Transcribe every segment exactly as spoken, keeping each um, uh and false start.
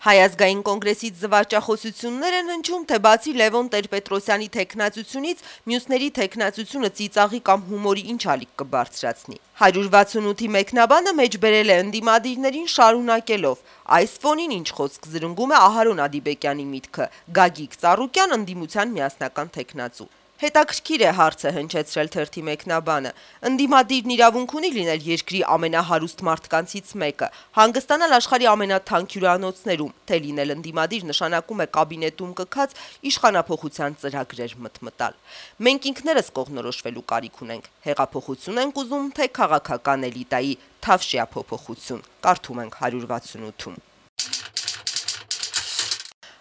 Հայ ազգային կոնգրեսից զվարճախոսություններ են հնչում, թե բացի Լևոն Տեր-Պետրոսյանի թեկնածությունից, մյուսների թեկնածությունը ծիծաղի կամ հումորի ինչ ալիք կբարձրացնի։ հարյուր վաթսունութի մեկնաբանը մեջբերել է ընդդիմադիրներին շարունակելով. այս ֆոնին ինչ խոսք զրնգում է Ահարոն Ադիբեկյանի միտքը, Գագիկ Ծառուկյան ընդդիմության միասնական թեկնածու։ Հետաքրքիր է հարցը հնչեցրել թերթի մեկնաբանը. ընդդիմադիրն իրավունք ունի լինել երկրի ամենահարուստ մարդկանցից մեկը, հանգստանալ աշխարհի ամենաթանկ հյուրանոցներում, թե լինել ընդդիմադիր նշանակում է կաբինետում կքած իշխանափոխության ծրագրեր մտմտալ։ Մենք ինքներս կողմնորոշվելու կարիք ունենք, հեղափոխություն ենք ուզում, թե քաղաքական էլիտայի թավշյա փոփոխություն, կարդում ենք հարյուր վաթսունութում։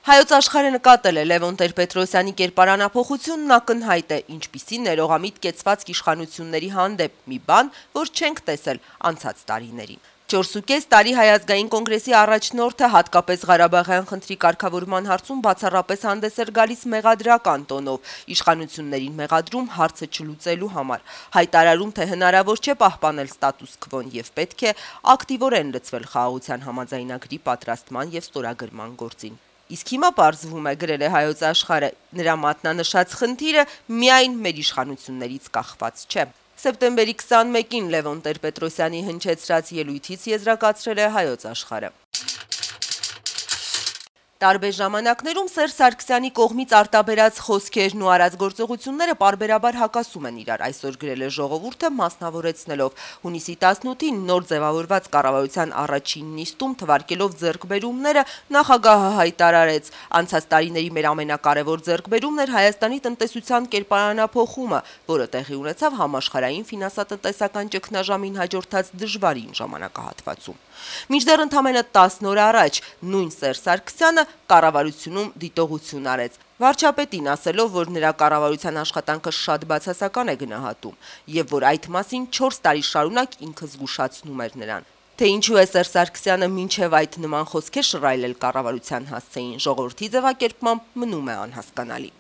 Հայոց աշխարհը նկատել է Լևոն Տեր-Պետրոսյանի կերպարանափոխությունն ակնհայտ է, ինչպիսի ներողամիտ կեցված իշխանությունների հանդեպ, մի բան, որ չենք տեսել անցած տարիներին։ չորսուկես տարի Հայ ազգային կոնգրեսի առաջնորդը հատկապես Ղարաբաղյան խնդրի կարգավորման հարցում բացառապես հանդես էր գալիս մեղադրական տոնով, իշխանություններին մեղադրում հարցը չլուծելու համար, հայտարարում, թե հնարավոր չէ պահպանել ստատուս քվոն եւ պետք է ակտիվորեն լծվել խաղաղության համաձայնագրի պատրաստման եւ ստորագրման գործին։ Իսկ հիմա պարզվում է, գրել է Հայոց աշխարհը, նրա մատնանշած խնդիրը միայն մեր իշխանություններից կախված չէ։ Սեպտեմբերի քսանմեկին Լևոն Տեր-Պետրոսյանի հնչեցրած ելույթից եզրակացրել է Հայոց աշխարհը. Տարբեր ժամանակներում Սերժ Սարգսյանի կողմից արտաբերած խոսքերն ու արած գործողությունները պարբերաբար հակասում են իրար, այսօր գրել է Ժողովուրդը, մասնավորեցնելով հունիսի տասնութին նոր ձևավորված կառավարության առաջին նիստում թվարկելով ձեռքբերումները նախագահը հայտարարեց. անցած տարիների մեր ամենակարևոր ձեռքբերումն էր Հայաստանի տնտեսության կերպարանափոխումը, որը տեղի ունեցավ համաշխարհային ֆինանսատնտեսական ճգնաժամին հաջորդած դժվարին ժամանակահատվածում։ Մինչդեռ ընդամենը տասն օր առաջ նույն Սերժ Սարգսյանը կառավարությունում դիտողություն արեց, վարչապետին ասելով, որ նրա կառավարության աշխատանքը շատ բացասական է գնահատում եւ որ այդ մասին չորս տարի շարունակ ինքը զգուշացնում էր նրան։ Թե ինչու է Սերժ Սարգսյանը մինչև այդ նման խոսքեր շռայլել կառավարության հասցեին, Ժողովրդի ձևակերպմամբ մնում է անհասկանալի։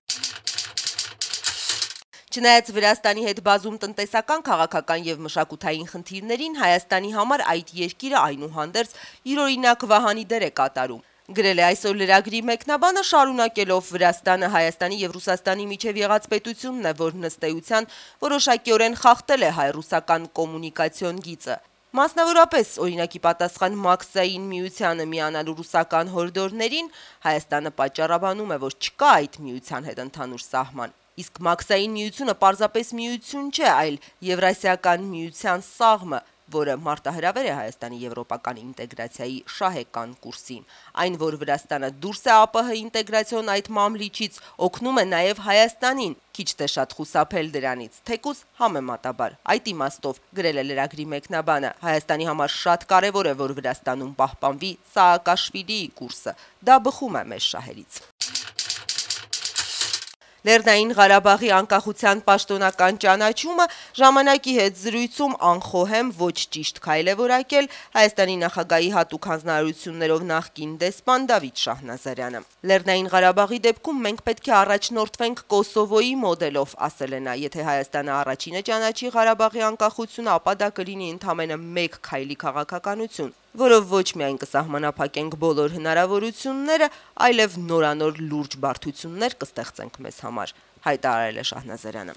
Չնայած Վրաստանի հետ բազում տնտեսական, քաղաքական եւ մշակութային խնդիրներին, Հայաստանի համար այդ երկիրը այնուհանդերձ յուրօրինակ վահանի դեր է կատարում։ Գրել է այսօր լրագրի մեկնաբանը, շարունակելով Վրաստանը Հայաստանի եւ Ռուսաստանի միջև եղած պետությունն է, որ նստեյության որոշակիորեն խախտել է հայ-ռուսական կոմունիկացիոն գիծը։ Մասնավորապես, օրինակի պատասխան Մաքսային միությանը միանալու ռուսական հորդորներին Հայաստանը պատճառաբանում է, որ չկա այդ միության հետ ընդհանուր սահման։ Իսկ Մաքսային միությունը պարզապես միություն չէ, այլ Եվրասիական միության սաղմը, որը մարտահրավեր է Հայաստանի եվրոպական ինտեգրացիայի շահեկան կուրսին։ Այն, որ Վրաստանը դուրս է ԱՊՀ ինտեգրացիոն այդ մամլիչից, օգնում է նաև Հայաստանին, քիչ թե շատ խուսափել դրանից, թեկուզ համեմատաբար։ Այդ իմաստով, գրել է լրագրի մեկնաբանը, Հայաստանի համար շատ կարևոր է, որ Վրաստանում պահպանվի Սաակաշվիլիի կուրսը։ Դա բխում է մեր շահերից։ Լեռնային Ղարաբաղի անկախության պաշտոնական ճանաչումը ժամանակի հետ զրույցում անխոհեմ ոչ ճիշտ քայլ է որակել Հայաստանի նախագահի հատուկ հանձնարարություններով նախկին դեսպան Դավիթ Շահնազարյանը։ Լեռնային Ղարաբաղի դեպքում մենք պետք է առաջնորդվենք Կոսովոյի մոդելով, ասել է նա, եթե Հայաստանը առաջինը ճանաչի Ղարաբաղի անկախությունը, ապա դա կլինի ընդամենը մեկ քայլի քաղաքականություն, որով ոչ միայն կսահմանափակենք բոլոր հնարավորությունները, այլև նորանոր լուրջ բարդություններ կստեղծենք մեզ համար, հայտարարել է Շահնազարյանը։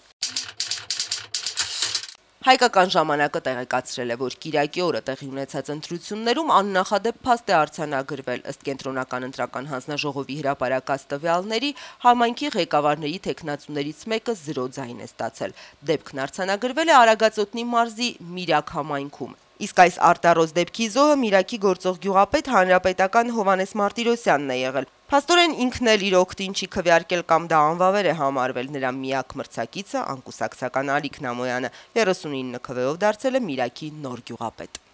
Հայկական ժամանակը տեղեկացրել է, որ Կիրակի օրը տեղի ունեցած ընտրություններում աննախադեպ փաստ է արձանագրվել, ըստ կենտրոնական ընտրական հանձնաժողովի հրապարակած տվյալների, համայնքի ղեկավարների թեկնածուներից մեկը զրո ձայն է ստացել։ Դեպքն արձանագրվել է Արագածոտնի մարզի Միրակ համայնքում։ Իսկ այս արտարոց դեպքի զոհը Միրակի գործող գյուղապետ հանրապետական Հովանես Մարտիրոսյանն է եղել։ Փաստորեն ինքն էլ իր օգտին չի քվեարկել կամ դա անվավեր է համարվել, նրա միակ մրցակիցը անկուսակցական Ալիկ Նամոյանը երեսունինը քվեով դարձել է Միրակի նոր գյուղապետ։